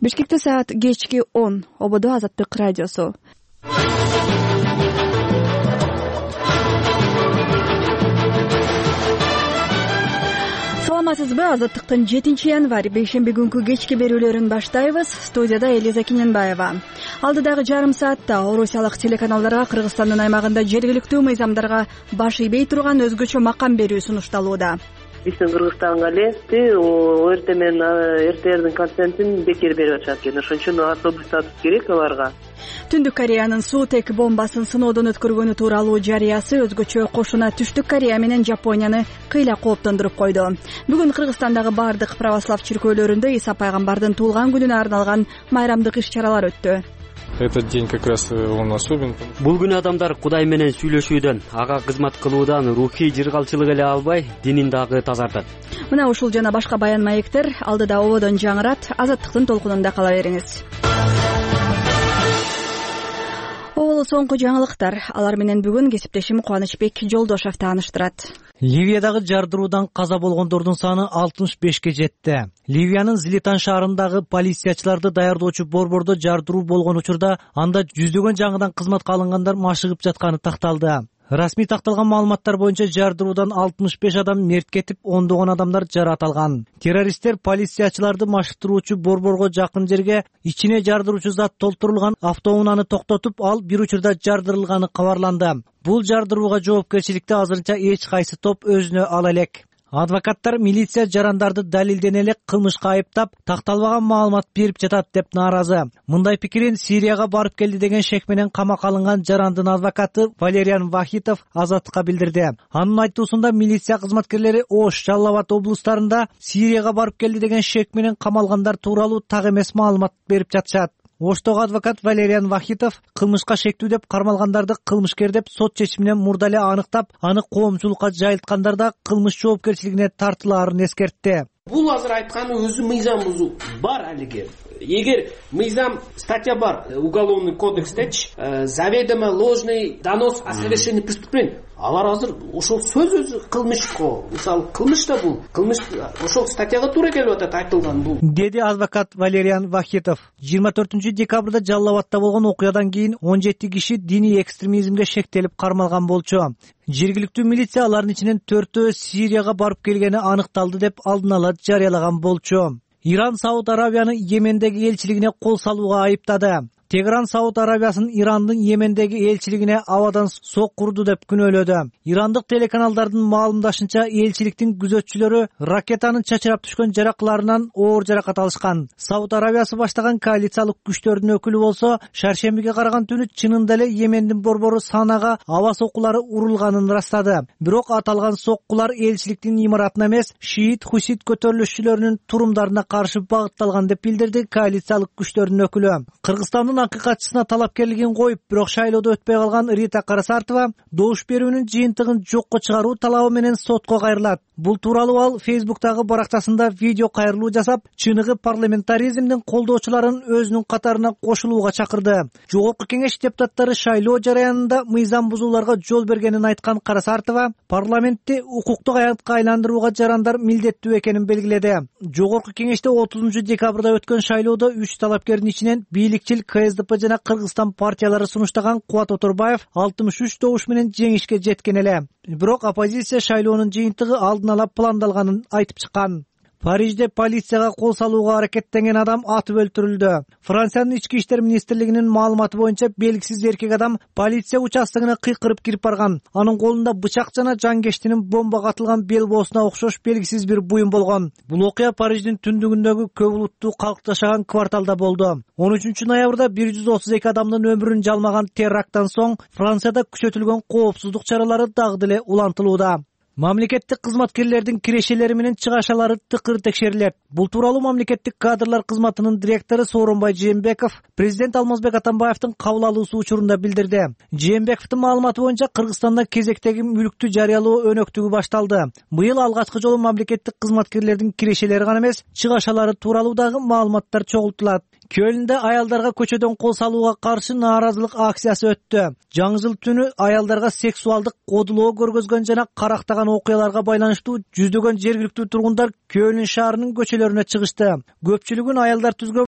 Бишкекте саат кечки 10. Ободо Азаттык радиосу. Саламатсызбы? Азаттыктын 7-январь бейшемби күнкү кечки берүүлөрүн баштайбыз. Студияда Элиза Киненбаева. Алдыдагы жарым саатта орусиялык телеканалдарга Кыргызстандын аймагында жергиликтүү мыйзамдарга баш ийбей турган өзгөчө макам берүү сунушталууда. Биздин Кыргызстанга эле ОРТ менен РТРдин контентин бекер берип атышат экен. Ошон үчүн особый статус керек аларга. Түндүк Кореянын Суутек бомбасын сыноодон өткөргөнү тууралуу жарыясы өзгөчө кошуна Түштүк Корея менен Жапонияны кыйла кооптондуруп койду. Бүгүн Кыргызстандагы бардык православ чиркөөлөрүндө Иса пайгамбардын туулган күнүнө арналган майрамдык иш-чаралар өттү. Этот день как раз он особен. Бул күнү адамдар Кудай менен сүйлөшүүдөн, ага кызмат кылуудан рухий жыргалчылык эле албай, динин дагы тазартат. Мына ушул жана башка баян маектер алдыда ободон жаңырат. Азаттыктын толкунунда кала бериңиз. Оболу соңку жаңылыктар. Алар менен бүгүн кесиптешим Кубанычбек Жолдошов тааныштырат. Ливиядагы жардыруудан каза болгондордун саны 65ке жетти. Ливиянын Злитан шаарындагы полициячыларды даярдоочу борбордо жардыруу болгон учурда анда жүздөгөн жаңыдан кызматка алынгандар машыгып жатканы такталды. Расмий такталган маалыматтар боюнча жардыруудан 65 адам мерт кетип, ондогон адамдар жаракат алган. Террористтер полициячыларды машыктыруучу борборго жакын жерге ичине жардыруучу зат толтурулган автоунааны токтотуп, ал бир учурда жардырылганы кабарланды. Бул жардырууга жоопкерчиликти азырынча эч кайсы топ өзүнө ала элек. Адвокаттар милиция жарандарды далилдене элек кылмышка айыптап, такталбаган маалымат берип жатат деп нааразы. Мындай пикирин Сирияга барып келди деген шек менен камакка алынган жарандын адвокаты Валериан Вахитов Азаттыкка билдирди. Анын айтуусунда милиция кызматкерлери Ош, Жалал-Абад облустарында Сирияга барып келди деген шек менен камалгандар тууралуу так эмес маалымат берип жатышат. Оштогу адвокат Валериан Вахитов кылмышка шектүү деп кармалгандарды кылмышкер деп сот чечиминен мурда эле аныктап, аны коомчулукка жайылткандар да кылмыш жоопкерчилигине тартылаарын эскертти. Бул азыр айтканы өзү мыйзам бузуу бар алиге. Эгер мыйзам статья бар уголовный кодекстечи, заведомо ложный донос о совершении преступления, алар азыр ошол сөз өзү кылмыш го. Мисалы кылмыш да бул. Кылмыш ошол статьяга туура келип атат айтылган бул. Деди адвокат Валериан Вахитов. 24-декабрда Жалал-Абадта болгон окуядан кийин 17 киши диний экстремизмге шектелип кармалган болчу. Жергиликтүү милиция алардын ичинен 4-өө Сирияга барып келгени аныкталды деп алдын ала жарыялаган болчу. Иран Сауд Арабияны Йемендеги элчилигине кол салууга айыптады. Тегеран Сауд Арабиясын Ирандын Йемендеги элчилигине абадан сок курду деп күнөөлөдү. Ирандык телеканалдардын маалымдашынча, элчиликтин күзөтчүлөрү ракетанын чачырап түшкөн жаракларынан оор жаракат алышкан. Сауд Арабиясы баштаган коалициялык күчтөрдүн өкүлү болсо, шаршембиге караган түнү чынында эле Йемендин борбору Санага аба соккулары урулганын ырастады. Бирок аталган соккулар элчиликтин имаратына эмес, шиит хусит көтөрүлүшчүлөрүнүн турумдарына каршы багытталган деп билдирди коалициялык күчтөрдүн өкүлү. Кыргызстандын акыйкатчысына талапкерлигин коюп, бирок шайлоодо өтпөй калган Рита Карасартова добуш берүүнүн жыйынтыгын жокко чыгаруу талабы менен сотко кайрылат. Бул тууралуу ал Фейсбуктагы баракчасында видео кайрылуу жасап, чыныгы парламентаризмдин колдоочуларын өзүнүн катарына кошулууга чакырды. Жогорку кеңеш депутаттары шайлоо жараянында мыйзам бузууларга жол бергенин айткан Карасартова парламентти укуктук аятка айландырууга жарандар милдеттүү экенин белгиледи. Жогорку кеңеште 30-декабрда өткөн шайлоодо 3 талапкердин ичинен бийликчил КСДП жана Кыргызстан партиялары сунуштаган Кубат Оторбаев 63 добуш менен жеңишке жеткен эле. Бирок оппозиция шайлоонун жыйынтыгы алдын ала пландалганын айтып чыккан. Парижде полицияга кол салууга аракеттенген адам атып өлтүрүлдү. Франциянын ички иштер министрлигинин маалыматы боюнча белгисиз эркек адам полиция участогуна кыйкырып кирип барган. Анын колунда бычак жана жангечтинин бомбага атылган бел боосуна окшош белгисиз бир буюм болгон. Бул окуя Париждин түндүгүндөгү көп улуттуу калк жашаган кварталда болду. 13-ноябрда 132 адамдын өмүрүн жалмаган теракттан соң Францияда күчөтүлгөн коопсуздук чаралары дагы деле улантылууда. Мамлекеттик кызматкерлердин кирешелери менен чыгашалары тыкыр текшерилет. Бул тууралуу мамлекеттик кадрлар кызматынын директору Сооронбай Жээнбеков президент Алмазбек Атамбаевдин кабыл алуусу учурунда билдирди. Жээнбековдун маалыматы боюнча Кыргызстанда кезектеги мүлүктү жарыялоо өнөктүгү башталды. Быйыл алгачкы жолу мамлекеттик кызматкерлердин кирешелери гана эмес, чыгашалары тууралуу дагы маалыматтар чогултулат. Кölндө аялдарга көчөдөн кол салууга каршы нааразылык акциясы өттү. Жаңы жыл түнү аялдарга сексуалдык кодулоо көргөзгөн жана карактаган окуяларга байланыштуу жүздөгөн жергиликтүү тургундар Кölн шаарынын көчөлөрүнө чыгышты. Көпчүлүгүн аялдар түзгөн